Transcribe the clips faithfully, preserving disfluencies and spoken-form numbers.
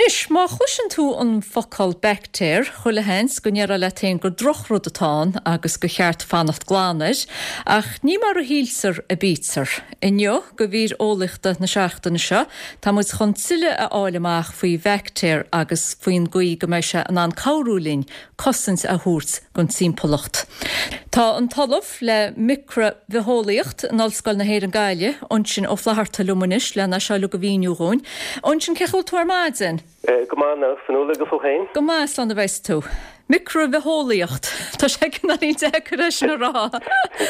Anois, má chloiseann tú an focal baictéar, chuile sheans go ndéarfá leat féin gur drochrud atá ann agus gur cheart fanacht glan air, ach ní mar a shíltear a bítear. Inniu, do mhír eolaíochta na seachtaine seo, tá muid chun tuilleadh a fháil amach faoi bhaictéar agus faoin gcaoi go mbeidh sé in ann cabhrú linn cosaint a thabhairt don timpeallacht. Tá an tOllamh le micribhitheolaíocht in Ollscoil na hÉireann Gaillimh, Uinseann Ó Flatharta liom anois lena seo a mhíniú dhúinn. Uinseann cén chaoi a bhfuil tú ar maidin? Go maith Fionnuala agus tú féin? Go maith slán a bheas tú. Micribhitheolaíocht Tá sé cineál deacair é sin a rá.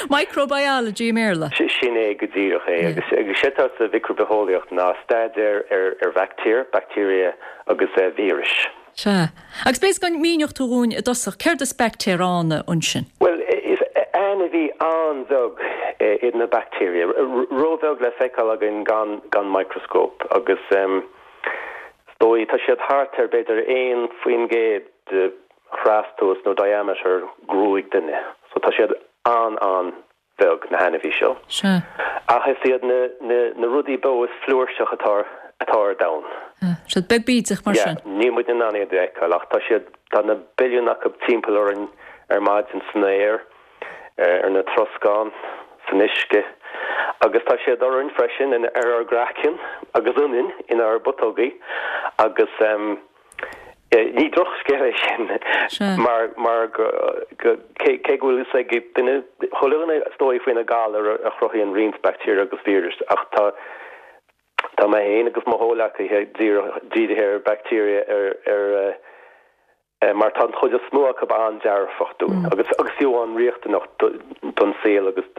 Microbiology i mBéarla. Sin é go díreach é agus agus sé atá sa mhicribhitheolaíocht ná staidéar ar ar bhaictéir, bacteria agus uh, víris. Sea. Agus b'fhéidir go míneodh tú dhúinn i dtosach céard is baictéar ann ansin. Well is ainmhí an-bheag iad na bacteria. Róbheag le feiceáil againn gan gan microscope agus um, dóigh tá siad thart ar b'fhéidir aon faoin gcéad de thrastomhas nó diameter gruaig duine. So tá siad an an bheag na hainmhithe seo. Sea. Ach is iad na, na, na rudaí beo is flúirseach atá atá ar domhan. Siad beag bídeach mar sin. Níl muid in ann iad a fheiceáil ach tá siad tá na billiún acu timpeall orainn ar maidin san aer, ar na troscán, san uisce, agus tá siad orainn freisin in ar ár gcraiceann agus ionainn inár bputógaí agus um, ní drochscéal é sin mar mar go cé go bhfuil ag duine chuile stoi faoina galar a chruthaíonn roinnt baictéar agus víris ach tá tá mé féin agus mo chomhghleacaithe dírithe ar bacteria ar ar uh, mar tá an chuid is mó acu an-dearfach dúinn agus agus fiú an-riachtanach don saol agus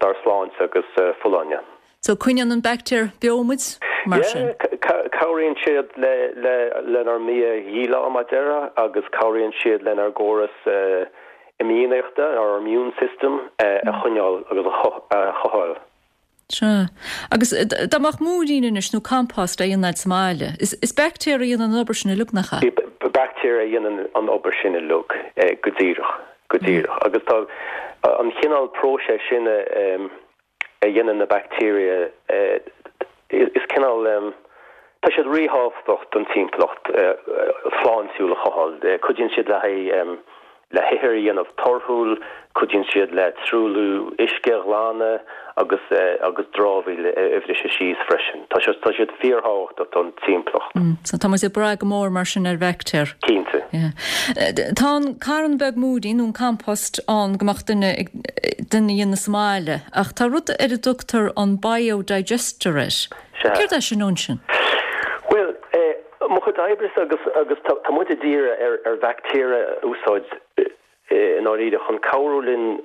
dár sláinte agus uh, folláine. So coinníonn an baictéar beo muid mar sin. Cabhraíonn siad le le lenár mbia a dhíleá mar deireadh agus cabhraíonn siad lenár gcóras uh, imdhíonachta our immune system uh, a choinneáil agus a chothabháil. Sea. Agus dá mbeadh múirín anois nó compost a dhéanamh sa mbaile. Is, is baictéar a dhéanann an obair sin uilig nach ea? Baictéar a dhéanann an obair sin uilig go díreach go díreach. Agus tá an cineál próiseas sin um, a dhéanann na bacteria uh, is cineál um, tá siad ríthábhachtach don timpeallacht uh, shláintiúil a chothabháil. Uh, cuidíonn siad le um, le hithir a dhéanamh torthúil, cuidíonn siad le truailliú uisce a ghlanadh agus uh, agus dramhaíl a bhriseadh síos freisin. Tá siad tá siad fíorthábhachtach don timpeallacht. Mm, so tá muid ag brath go mór mar sin ar bhaictéir. Cinnte. Yeah. Tá an carn beag múirín nó an compost ann go mbeadh duine duine a dhéanamh sa mbaile, ach tá rud ar a dtugtar an biodigester air. Céard é sin ansin? Well, eh, mo chuid oibre agus agus tá muid ag díriú ar ar bhaictéar a úsáid i ndáiríre chun cabhrú linn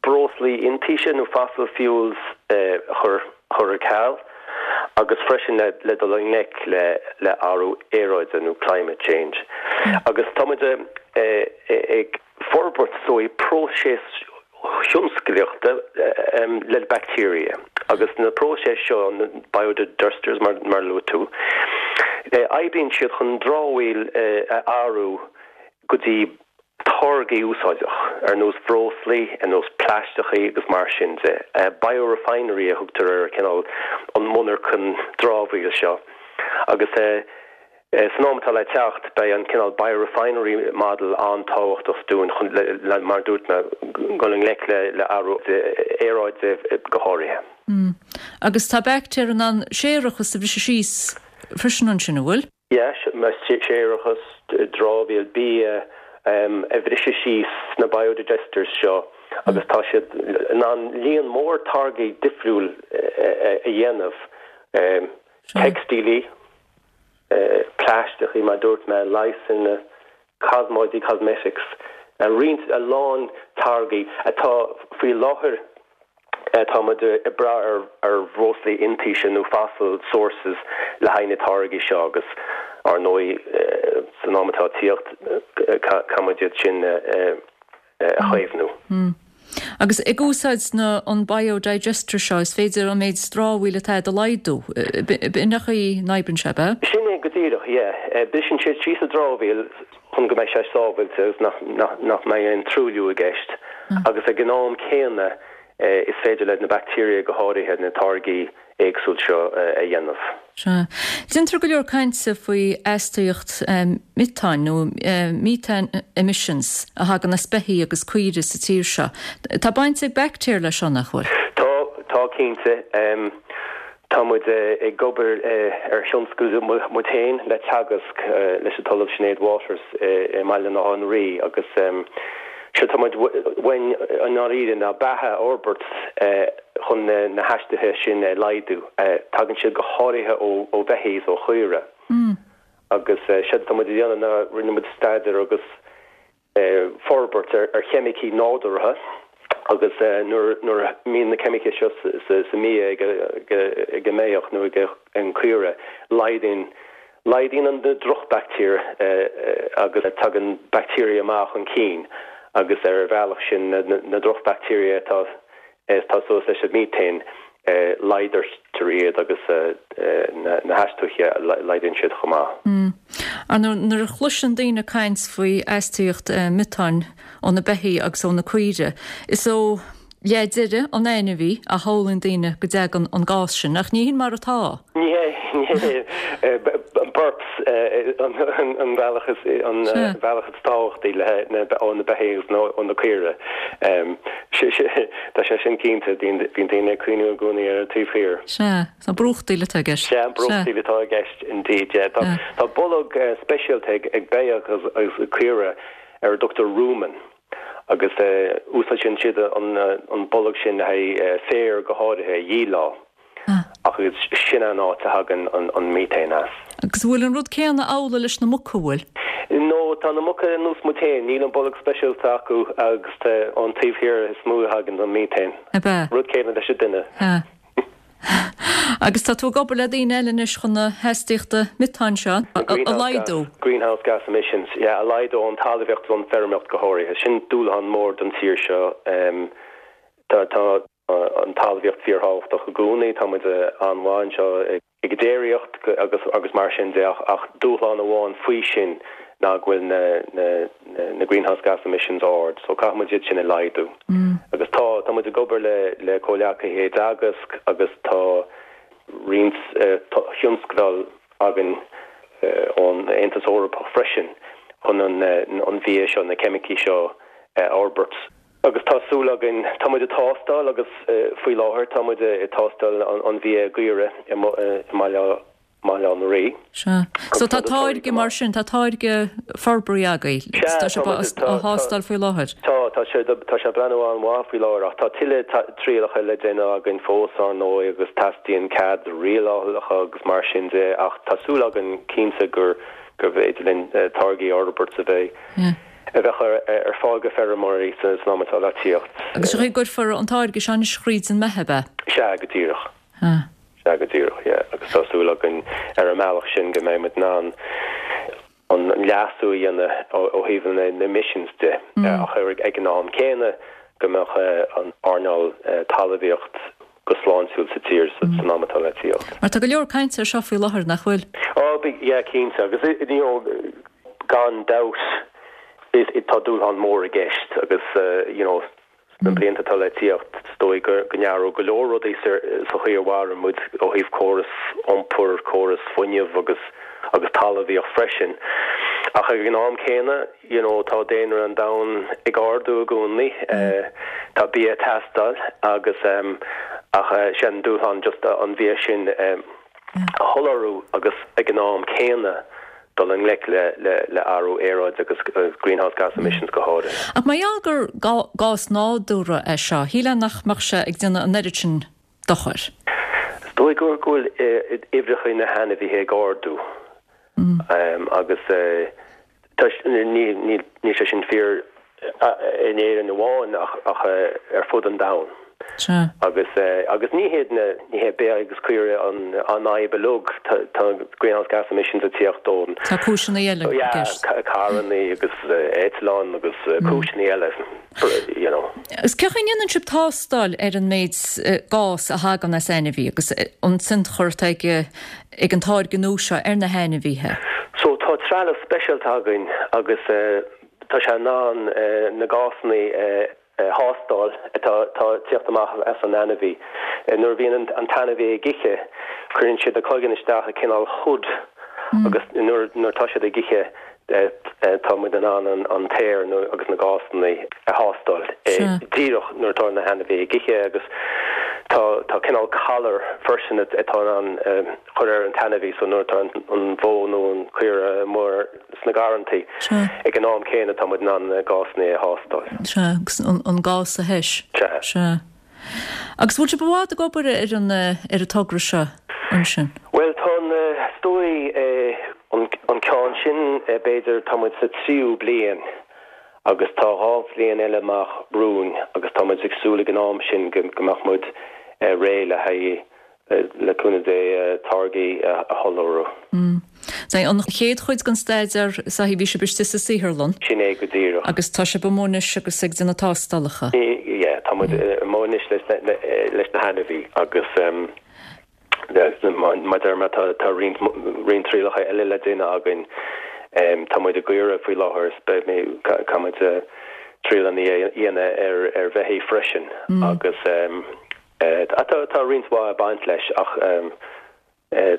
breoslaí iontaise nó fossil fuels eh, chur chur ar ceal agus freisin le le dul i ngleic le le athrú aeráide nó climate change. Mm. Agus tá muid eh, ag forbairt so próiseas tionsclaíochta um, le bacteria agus na próiseas seo na biodigesters mar mar luaigh tú. Eh, oibríonn siad chun dramhaíl eh, a athrú go dtí táirgí úsáideach ar nós breoslaí ar nós plaisteachaí agus mar sin de. Uh, biorefinery a thugtar ar cineál an monarchan dramhaíl seo. Agus uh, san am atá le teacht beidh an cineál biorefinery model an-tábhachtach dúinn chun le mar dúirt mé dul i ngleic le le athrú aeráide go háirithe. Mm. Agus tá baictéir in ann séarachas a bhriseadh síos freisin ansin an bhfuil? Yes, séarachas dramhaíl bia um, a bhriseadh síos na biodigesters seo agus tá siad in ann líon mór táirgí difriúil a dhéanamh um, teicstílí, uh, plaisteachaí mar dúirt mé leigheasanna cosmáidí cosmetics, a roinnt a lán táirgí atá faoi láthair tá muid ag brath ar ar bhreoslaí iontaise nó fossil sources le haghaidh na táirgí seo agus ar ndóigh san am atá tíocht caithfimid iad sin a chaomhnú. Mm. Agus ag úsáid na an biodigester seo is féidir an méid dramhaíl atá a laghdú b'in an chaoi a n-oibríonn sé be? Sin é go díreach, yeah. Briseann siad síos an dramhaíl chun go mbeidh sé sábháilte agus nach, nach, nach mbeidh aon truailliú i gceist. Mm. Agus ag an am céanna is féidir le na bacteria go háirithe na táirgí éagsúil seo a dhéanamh. Sea. Déantar go leor cainte faoi astaíocht miotáin nó methane emissions a thagann as beithígh agus caoirigh sa tír seo. Tá baint ag baictéir leis seo, nach bhfuil? Tá, tá cinnte. Tá muid ag obair ar thionscadal muid féin le Teagasc leis an tOllamh Sinéad Waters i mBaile Átha an Rí agus séard tá muid uainn i ndáiríre ná beatha a fhorbairt chun na hastuithe sin a laghdú. Tagann siad go háirithe ó bheithígh is ó chaoirigh. Agus séard atá muid a dhéanamh ná rinne muid staidéar agus forbairt ar cheimicí nádúrtha agus nuair a mbíonn na ceimicí seo sa mbia ag an mbeithíoch nó ag an caora, laghdaíonn Laghdaíonn an drochbhaictéir agus tagann baictéirí maithe chun cinn agus ar an bhealach sin na drochbhaictéirí atá atá suas leis an miotáin laghdaítear iad agus na hastuithe laghdaíonn siad chomh maith. Ar nuair a chloiseann daoine caint faoi astaíocht miotáin ó na beithígh agus ó na caoirigh, is ó leath deiridh an ainmhí a shamhlaíonn daoine go dtagann an gás sin, ach ní hin mar atá. Ní hé, ní hé. Burps an bealach is an bealach is tábhachtaí le ó na beithígh agus ó na caoirigh. Tá sé sin cinnte, bíonn daoine ag cuimhniú i gcónaí ar an taobh thiar. Sea, tá brúchtaíl atá i gceist. Sea, brúchtaíl atá i gceist indeed, yeah. Tá bolg speisialta ag beithíoch agus caora ar a dtugtar rumen. Agus úsáideann siad an bolg sin le haghaidh féar go háirithe a dhíleá. Ach sin an áit a thagann an miotáin as. Agus bhfuil an rud céanna amhlaidh leis na muca, bhfuil? No, tá na muca ar nós muid féin, níl an bolg speisialta acu agus ón taobh thiar is mó a thagann an miotáin. Ab ea? Rud céanna leis an duine. Ea. Agus tá tú ag obair le daoine eile anois chun na hastaíochta miotáin seo a laghdú. Greenhouse gas emissions, yeah, a laghdú ón talmhaíocht is ón bhfeirmeoireacht go háirithe. Sin dúshlán mór don tír seo. Tá tá an talmhaíocht fíorthábhachtach i gcónaí, tá muid an-mhaith anseo ag déiríocht agus agus mar sin de ach dúshlán amháin faoi sin ná go bhfuil na na na greenhouse gas emissions ard, so caithfidh muid iad sin a laghdú. Agus tá, tá muid ag obair le le comhghleacaithe i dTeagasc agus tá roinnt thionscadal againn ón Aontas Eorpach freisin chun an an bhia seo, na ceimicí seo a fhorbairt. Agus tá súil againn, tá muid ag tástáil agus faoi láthair tá muid ag tástáil an bhia i gcaoirigh i mBaile Mbaile Átha an Rí. Sea. So tá táirge mar sin, tá táirge forbartha agaibh. Sea, tá sé á thástáil faoi láthair. Tá, tá sé, tá sé ag breathnú an-mhaith faoi láthair ach tá tuilleadh trialacha le déanamh againn fós, ar ndóigh, agus teastaíonn cead rialálacha agus mar sin de ach tá súil againn cinnte gur, gurbh fhéidir linn táirgí a fhorbairt a bheidh, a bheadh ar fáil go feirmeoirí san am atá le tíocht. Agus an chaoi go gcuirfear an táirge seo anois thríd an mbeith, ab ea? Sea, go díreach. Sea. Sea, go díreach, yeah. Agus tá súil againn ar an mbealach sin go mbeidh muid in ann an leasú a dhéanamh ó thaobh na emissions de, ach ag an am céanna go mbeadh an earnáil talmhaíocht go sláintiúil sa tír san am atá le tíocht. Mar tá go leor cainte air seo faoi láthair, nach bhfuil? Ó, yeah, cinnte. Agus you know, gan dabht tá dúshlán mór i gceist agus you know, Sna blianta atá le tíocht, is dóigh go n-athróidh go leor rudaí sa chaoi a mhaireann muid ó thaobh córas iompair, córas fuinnimh agus agus talmhaíocht freisin. Ach ag an am céanna, you know, tá daonra an domhain ag ardú i gcónaí, tá bia ag teastáil agus ach sé an dúshlán just an bhia sin a sholáthar agus ag an am céanna dul i ngleic le athrú aeráide agus greenhouse gas emissions go háirithe. Ach mar gheall gur gás nádúrtha é seo, shílfeá nach mbeadh sé ag déanamh an oiread sin dochair. Is dóigh go bhfuil uimhreacha na hainmhithe ag ardú agus níl sé sin fíor in Éirinn amháin ach ar fud an domhain. Sea. Agus agus ní hiad na ní hé beithígh agus caoirigh an an fhadhb uilig, tá tá greenhouse gas emissions ag tíocht ón Tá cúiseanna eile i gceist. Yeah, carrannaí agus eitleáin agus cúiseanna eile, you know. Agus cén chaoi a ndéanann sibh tástáil ar an méid gás a thagann as ainmhí agus an tionchar atá ag ag an táirge nua seo ar na hainmhithe? So tá trealamh speisialta againn agus tá sé in ann na gásanna a thástáil atá ag tíocht amach as an ainmhí. Nuair a bhíonn an t-ainmhí ag ithe, cuireann siad a cloigeann isteach i cineál hood agus nuair nuair tá siad ag ithe tá muid in ann an an t-aer nó agus na gásanna a thástáil díreach nuair atá na hainmhithe ag ithe agus tá tá cineál collar freisin atá in ann chur ar an t-ainmhí so nuair atá an bhó nó an caora amuigh sna garrantaí ag an am céanna tá muid in ann na gásanna a thástáil. Sea, agus an an gás a thomhas. Sea. Sea. Agus bhfuil sibh i bhfad ag obair ar an ar an togra seo ansin? Bhuel tá an is dóigh an an ceann sin b'fhéidir tá muid sa tríú bliain agus tá dhá bhliain eile amach romhainn agus tá muid ag súil ag an am sin go go mbeadh muid réidh le haghaidh le cúnamh Dé táirgí a sholáthar. Sea, an chéad chuid den staidéar is ea bhí sibh istigh sa saotharlann. Sin é go díreach. Agus tá sibh amuigh anois agus ag déanamh tástálacha. Yeah, tá muid amuigh anois leis na leis na hainmhithe agus mar a deir mé tá tá roinnt roinnt trialacha eile le déanamh againn. Tá muid i gcaora faoi láthair is beidh mé caithfidh muid triail a dhéanamh ar ar bheithígh freisin agus tá tá roinnt mhaith ag baint leis ach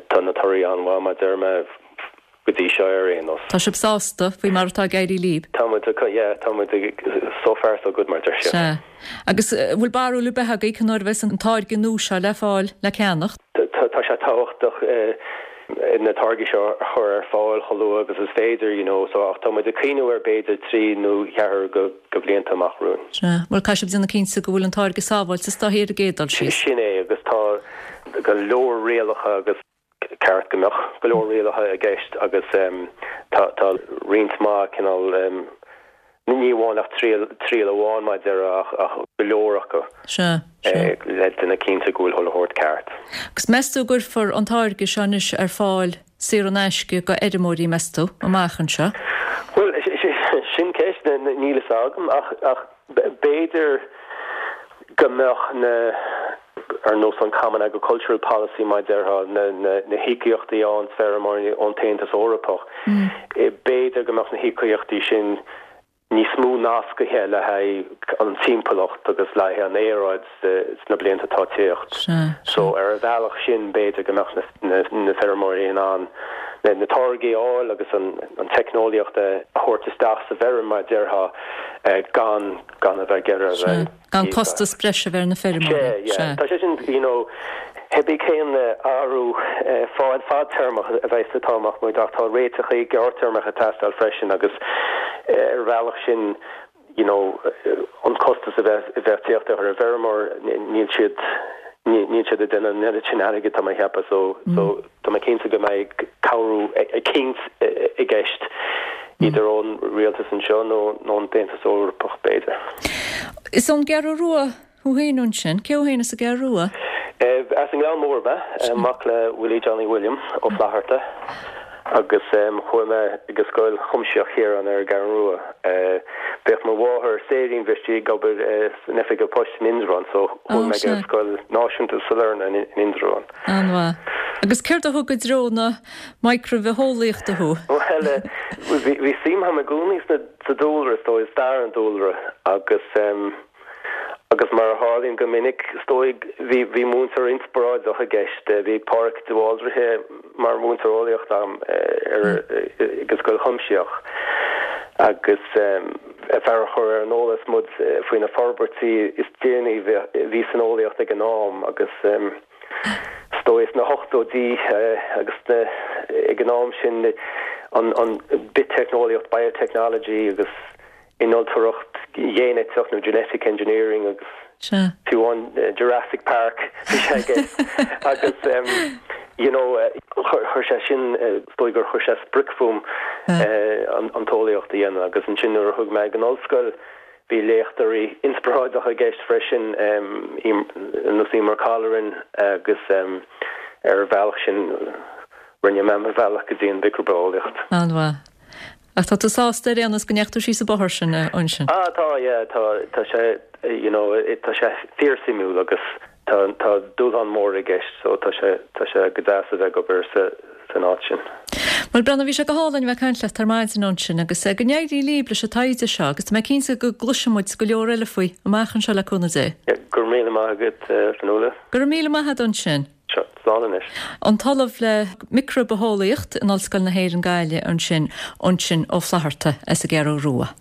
tá na torthaí an-mhaith mar a deir mé go dtí seo ar aon nós. Tá sibh sásta faoi mar atá ag éirí libh? Tá muid yeah, tá muid so far so good mar a deir siad. Sea. Agus bhfuil barúil ar bith agaibh cén uair a bheas an táirge nua seo le fáil le ceannacht? Tá sé tábhachtach na táirgí seo a chur ar fáil chomh luath agus is féidir, you know, so ach tá muid ag cuimhneamh ar b'fhéidir trí nó ceathair go go blianta amach romhainn. Sea. Bhuel caithfidh sibh déanamh cinnte go bhfuil an táirge sábháilte is dóichí ar an gcéad dul síos. Sin é agus tá go leor rialacha agus ceart go mbeadh go leor rialacha i gceist agus tá tá roinnt mhaith cineál ní amháin ach triail triail amháin mar a déarfá ach ach go leor acu. Sea, sea. Le déanamh cinnte go bhfuil chuile shórt ceart. Agus meas tú go gcuirfear an táirge seo anois ar fáil saor in aisce go fheirmeoirí meas tú amach anseo? Bhuel sin ceist níl a fhios agam ach ach b'fhéidir go mbeadh na ar nós an Common Agricultural Policy mar a déarfá na na na híocaíochtaí ón feirmeoirí ón tAontas Eorpach. B'fhéidir go mbeadh na híocaíochtaí sin níos mó nascaithe le haghaidh an timpeallacht agus le haghaidh an aeráid sna blianta atá ag tíocht. So ar an bhealach sin b'fhéidir go mbeadh na na feirmeoirí in ann na na táirgí a fháil agus an an teicneolaíocht a thabhairt isteach sa bhfeirm mar a déarfá gan gan a bheith ag iarraidh a bheith Gan costas breise a bheith ar na feirmeoirí. Sea, yeah. Tá sé sin you know, cibé cén athrú fad fadtéarmach a bheas atá amach muid ach tá réiteachaí gearrthéarmacha ag teastáil freisin agus ar bhealach sin you know, an costas a bheith a bheith tíocht ar an bhfeirmeoir níl siad níl siad ag déanamh an oiread sin airgid tá mé ag ceapadh so so tá mé cinnte go mbeidh cabhrú eicínt i gceist idir ón rialtas anseo nó nó an tAontas Eorpach b'fhéidir. Is ón gCeathrú Rua thú féin ansin, cé thú féin as an gCeathrú Rua? As an nGleann Mór mé, mac le Willie Johnny William Ó Flatharta agus chuaigh mé go Scoil Chuimsitheach Chiaráin ar an gCeathrú Rua. Bhíodh mo mháthair Séirín bhí sí ag obair san oifig an phoist in Indreabhán so chuaigh mé go Scoil Náisiúnta Sailearna in Indreabhán. An-mhaith. Agus céard a thug i dtreo na micreabhitheolaíochta thú? Bhuel, bhí suim agam i gcónaí sa dúlra, is dóigh, stair an dúlra agus agus mar a tharlaíonn go minic, is dóigh, bhí bhí múinteoir inspioráideach i gceist. Bhí Pádraig de Bhaldraithe mar mhúinteoir eolaíochta agam ar ag an Scoil Chuimsitheach agus fear a chuir ar an eolas muid faoi na forbairtí is déanaí a bhí san eolaíocht ag an am agus is dóigh sna hochtóidí agus na ag an am sin an an biteicneolaíocht biotechnology agus innealtóireacht ghéiniteach nó genetic engineering agus fiú amháin Jurassic Park bhí sé i gceist agus you know chuir sé sin is dóigh gur chuir sé sprioc fúm an an t-eolaíocht a dhéanamh agus ansin nuair a chuaigh mé ag an ollscoil bhí léachtóirí inspioráideacha i gceist freisin ar nós Emer Colleran agus ar an bhealach sin rinne mé mo bhealach go dtí an mhicribhitheolaíocht. An-mhaith. Ach tá tú sásta ar aon nós go ndeachaigh tú síos an bóthar sin ansin? Ah tá yeah tá tá sé you know tá sé fíorsuimiúil agus tá tá dúshlán mór i gceist so tá sé tá sé go deas a bheith ag obair sa san áit sin. Bhuel Breandán bhí sé go hálainn bheith ag caint leat ar maidin ansin agus go n-éirí libh leis an taighde seo agus tá mé cinnte go gcloisfidh muid go leor eile faoi amach anseo le cúnamh Dé. Go raibh míle maith agat Fionnuala. Go raibh míle maith agat ansin. Slán anois. An tOllamh le Micribitheolaíocht in Ollscoil na hÉireann Gaillimh ansin Uinseann Ó Flatharta as an gCeathrú Rua.